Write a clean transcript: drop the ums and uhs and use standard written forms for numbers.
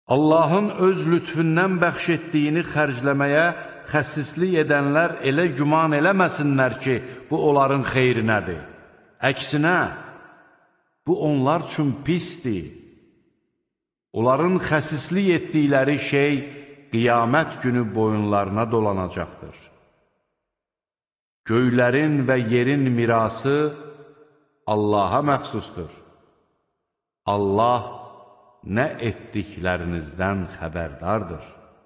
Allahın öz lütfündən bəxş etdiyini xərcləməyə xəsislik edənlər elə güman eləməsinlər ki, bu onların xeyrinədir. Əksinə, bu onlar üçün pisdir. Onların xəsislik etdikləri şey qiyamət günü boyunlarına dolanacaqdır. Göylərin və yerin mirası Allaha məxsusdur. Allah nə etdiklərinizdən xəbərdardır.